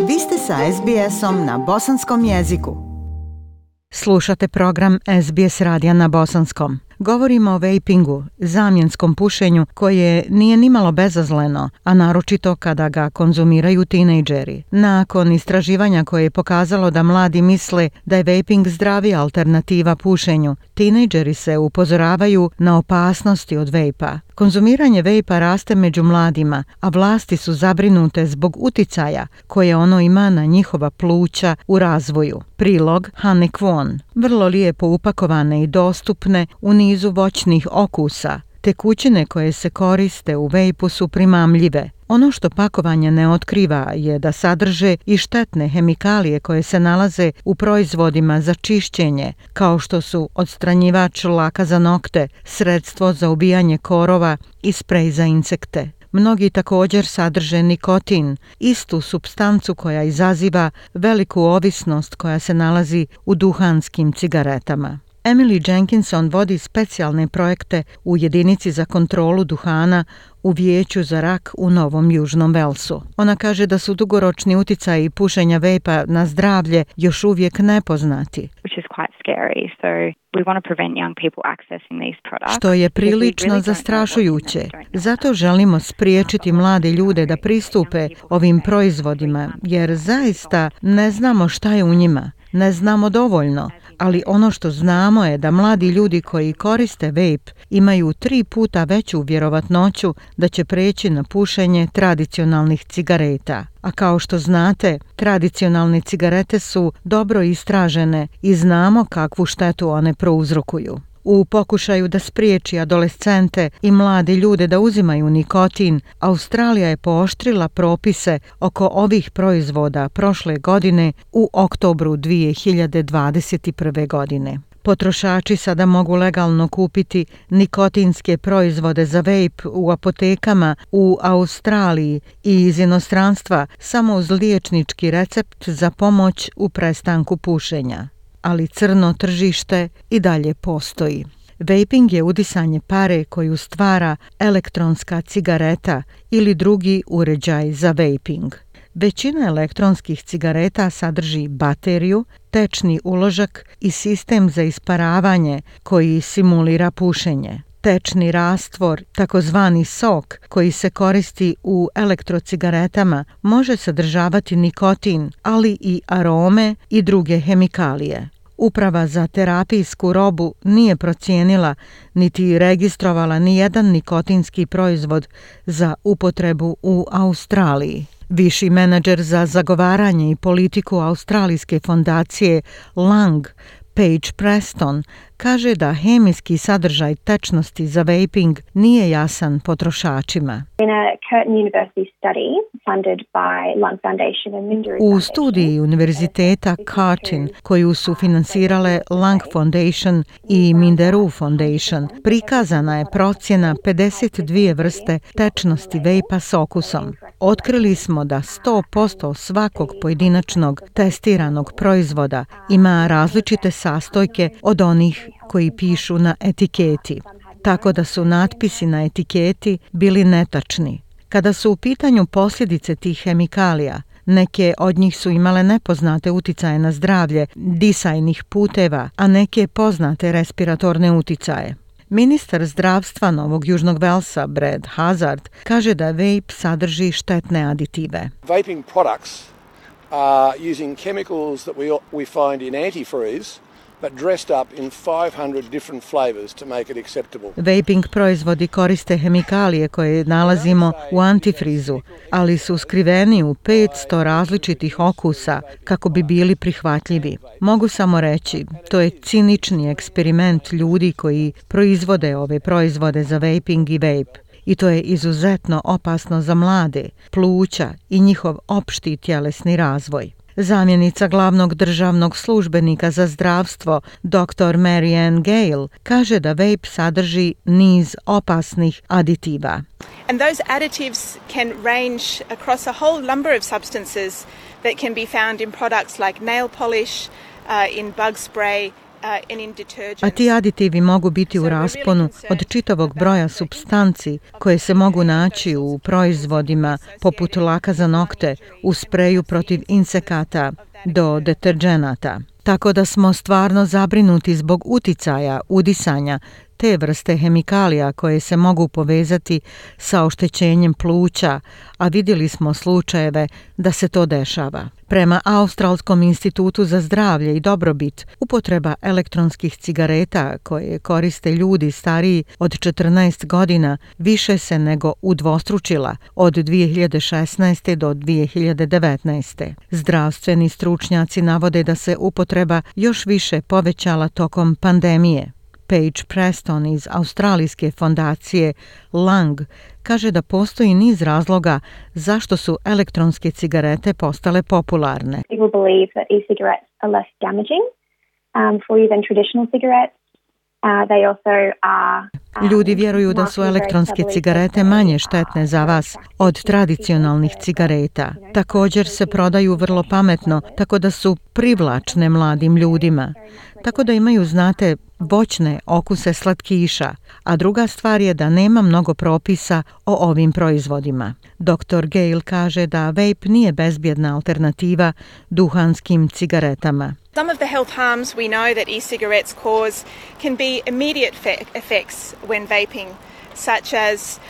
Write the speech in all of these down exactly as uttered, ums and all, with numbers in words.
Vi ste sa es be esom na bosanskom jeziku. Slušate program es be es radija na bosanskom. Govorimo o vejpingu, zamjenskom pušenju koje nije nimalo bezazleno, a naročito kada ga konzumiraju tinejdžeri. Nakon istraživanja koje je pokazalo da mladi misle da je vejping zdravija alternativa pušenju, tinejdžeri se upozoravaju na opasnosti od vejpa. Konzumiranje vejpa raste među mladima, a vlasti su zabrinute zbog uticaja koje ono ima na njihova pluća u razvoju. Prilog Hane Kwon. Vrlo lijepo upakovane i dostupne u nizu voćnih okusa. Tekućine koje se koriste u vejpu su primamljive. Ono što pakovanje ne otkriva je da sadrže i štetne hemikalije koje se nalaze u proizvodima za čišćenje, kao što su odstranjivač laka za nokte, sredstvo za ubijanje korova i sprej za insekte. Mnogi također sadrže nikotin, istu supstancu koja izaziva veliku ovisnost koja se nalazi u duhanskim cigaretama. Emily Jenkinson vodi specijalne projekte u jedinici za kontrolu duhana u Vijeću za rak u Novom Južnom Velsu. Ona kaže da su dugoročni uticaji pušenja vejpa na zdravlje još uvijek nepoznati. Što je prilično zastrašujuće. Zato želimo spriječiti mlade ljude da pristupe ovim proizvodima, jer zaista ne znamo šta je u njima. Ne znamo dovoljno, ali ono što znamo je da mladi ljudi koji koriste vejp imaju tri puta veću vjerovatnoću da će preći na pušenje tradicionalnih cigareta. A kao što znate, tradicionalne cigarete su dobro istražene i znamo kakvu štetu one prouzrokuju. U pokušaju da spriječi adolescente i mlade ljude da uzimaju nikotin, Australija je pooštrila propise oko ovih proizvoda prošle godine u oktobru dvije hiljade dvadeset prve. godine. Potrošači sada mogu legalno kupiti nikotinske proizvode za vejp u apotekama u Australiji i iz inostranstva samo uz liječnički recept za pomoć u prestanku pušenja. Ali crno tržište i dalje postoji. Vaping je udisanje pare koju stvara elektronska cigareta ili drugi uređaj za vaping. Većina elektronskih cigareta sadrži bateriju, tečni uložak i sistem za isparavanje koji simulira pušenje. Tečni rastvor, takozvani sok, koji se koristi u elektrocigaretama, može sadržavati nikotin, ali i arome i druge hemikalije. Uprava za terapijsku robu nije procijenila niti registrovala ni jedan nikotinski proizvod za upotrebu u Australiji. Viši menadžer za zagovaranje i politiku australijske fondacije Lung, Paige Preston, kaže da hemijski sadržaj tečnosti za vaping nije jasan potrošačima. U studiji Univerziteta Curtin, koju su finansirale Lung Foundation i Minderoo Foundation, prikazana je procjena pedeset dvije vrste tečnosti vejpa s okusom. Otkrili smo da sto posto svakog pojedinačnog testiranog proizvoda ima različite sastojke od onih koji pišu na etiketi, tako da su natpisi na etiketi bili netačni. Kada su u pitanju posljedice tih hemikalija, neke od njih su imale nepoznate uticaje na zdravlje disajnih puteva, a neke poznate respiratorne uticaje. Ministar zdravstva Novog Južnog Velsa, Brad Hazard, kaže da vejp sadrži štetne aditive. Vaping products are using chemicals that we, we find in antifreeze, but dressed up in five hundred different flavors to make it acceptable. Vaping proizvodi koriste hemikalije koje nalazimo u antifrizu, ali su skriveni u petsto različitih okusa kako bi bili prihvatljivi. Mogu samo reći, to je cinični eksperiment ljudi koji proizvode ove proizvode za vaping i vape. I to je izuzetno opasno za mlade, pluća i njihov opšti tjelesni razvoj. Zamjenica glavnog državnog službenika za zdravstvo, doktor Mary Ann Gale, kaže da vape sadrži niz opasnih aditiva. And those additives can range across a whole number of substances that can be found in products like nail polish, uh, in bug spray, and in detergents. A ti aditivi mogu biti u rasponu od čitavog broja supstanci koje se mogu naći u proizvodima poput laka za nokte, u spreju protiv insekata do deterđenata. Tako da smo stvarno zabrinuti zbog uticaja udisanja te vrste hemikalija koje se mogu povezati sa oštećenjem pluća, a vidjeli smo slučajeve da se to dešava. Prema Australskom institutu za zdravlje i dobrobit, upotreba elektronskih cigareta koje koriste ljudi stariji od četrnaest godina više se nego udvostručila od dvije hiljade šesnaeste. do dvije hiljade devetnaeste. Zdravstveni stručnjaci navode da se upotreba još više povećala tokom pandemije. Paige Preston iz australijske fondacije Lung kaže da postoji niz razloga zašto su elektronske cigarete postale popularne. People believe that e-cigarettes are less damaging um, for you than traditional cigarettes. Uh, they also are, um, Ljudi vjeruju da su elektronske cigarete manje štetne za vas od tradicionalnih cigareta. Također se prodaju vrlo pametno, tako da su privlačne mladim ljudima. Tako da imaju, znate, voćne okuse slatkiša, a druga stvar je da nema mnogo propisa o ovim proizvodima. doktor Gale kaže da vape nije bezbjedna alternativa duhanskim cigaretama. Some of the health harms we know that e-cigarettes cause can be immediate fe- effects when vaping, such as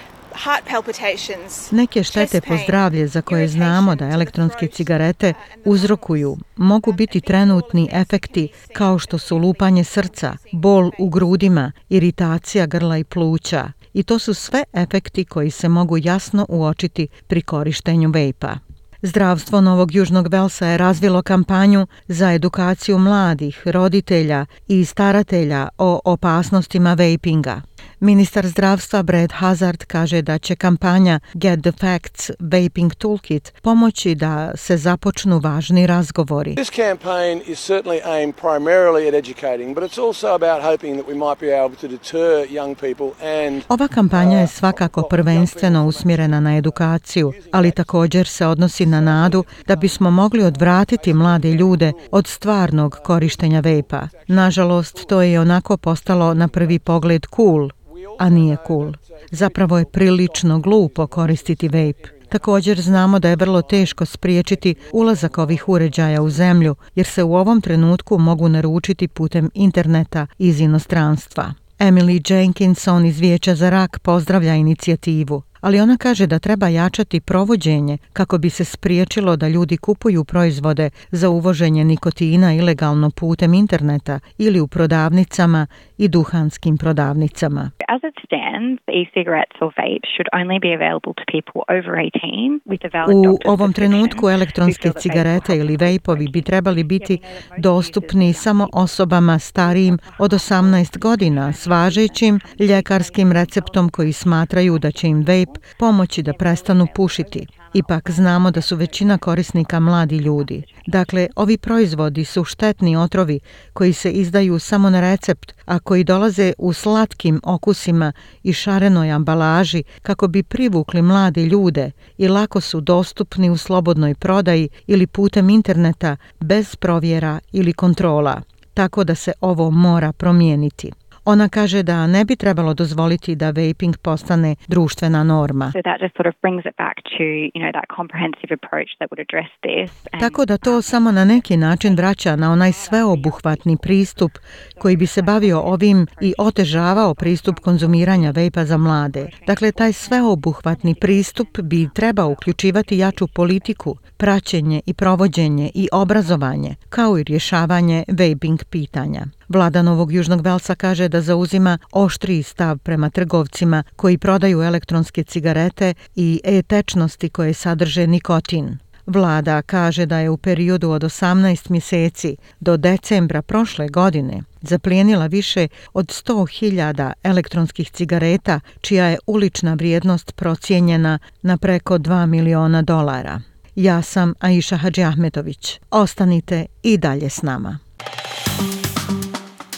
heart palpitations. Neke štete po zdravlje za koje znamo da elektronske cigarete uzrokuju mogu biti trenutni efekti kao što su lupanje srca, bol u grudima, iritacija grla i pluća. I to su sve efekti koji se mogu jasno uočiti pri korištenju vejpa. Zdravstvo Novog Južnog Velsa je razvilo kampanju za edukaciju mladih, roditelja i staratelja o opasnostima vapinga. Ministar zdravstva Brad Hazard kaže da će kampanja Get the Facts Vaping Toolkit pomoći da se započnu važni razgovori. This campaign is certainly aimed primarily at educating, but it's also about hoping that we might be able to deter young people and Ova kampanja je svakako prvenstveno usmjerena na edukaciju, ali također se odnosi na nadu da bismo mogli odvratiti mlade ljude od stvarnog korištenja vejpa. Nažalost, to je onako postalo na prvi pogled cool, a nije cool. Zapravo je prilično glupo koristiti vape. Također znamo da je vrlo teško spriječiti ulazak ovih uređaja u zemlju, jer se u ovom trenutku mogu naručiti putem interneta iz inostranstva. Emily Jenkinson iz Vijeća za rak pozdravlja inicijativu, ali ona kaže da treba jačati provođenje kako bi se spriječilo da ljudi kupuju proizvode za uvoženje nikotina ilegalno putem interneta ili u prodavnicama i duhanskim prodavnicama. As it stands, e-cigarettes or vapes should only be available to people over eighteen with a valid U doctor's ovom trenutku prescription. elektronske cigarete ili vejpovi bi trebali biti dostupni samo osobama starijim od osamnaest godina s važećim ljekarskim receptom koji smatraju da će im vejp pomoći da prestanu pušiti. Ipak znamo da su većina korisnika mladi ljudi. Dakle, ovi proizvodi su štetni otrovi koji se izdaju samo na recept, a koji dolaze u slatkim okusima i šarenoj ambalaži kako bi privukli mlade ljude i lako su dostupni u slobodnoj prodaji ili putem interneta bez provjera ili kontrola. Tako da se ovo mora promijeniti. Ona kaže da ne bi trebalo dozvoliti da vaping postane društvena norma. So that just sort of brings it back to, you know, that comprehensive approach that would address this. And, Tako da to samo na neki način vraća na onaj sveobuhvatni pristup koji bi se bavio ovim i otežavao pristup konzumiranja vejpa za mlade. Dakle, taj sveobuhvatni pristup bi trebao uključivati jaču politiku, praćenje i provođenje i obrazovanje, kao i rješavanje vaping pitanja. Vlada Novog Južnog Velsa kaže da zauzima oštriji stav prema trgovcima koji prodaju elektronske cigarete i e-tečnosti koje sadrže nikotin. Vlada kaže da je u periodu od osamnaest mjeseci do decembra prošle godine zaplijenila više od sto hiljada elektronskih cigareta, čija je ulična vrijednost procijenjena na preko dva miliona dolara. Ja sam Aisha Hadžiahmetović. Ostanite i dalje s nama.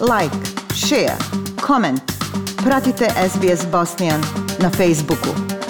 Like, share, comment. Pratite S B S Bosnian na Facebooku.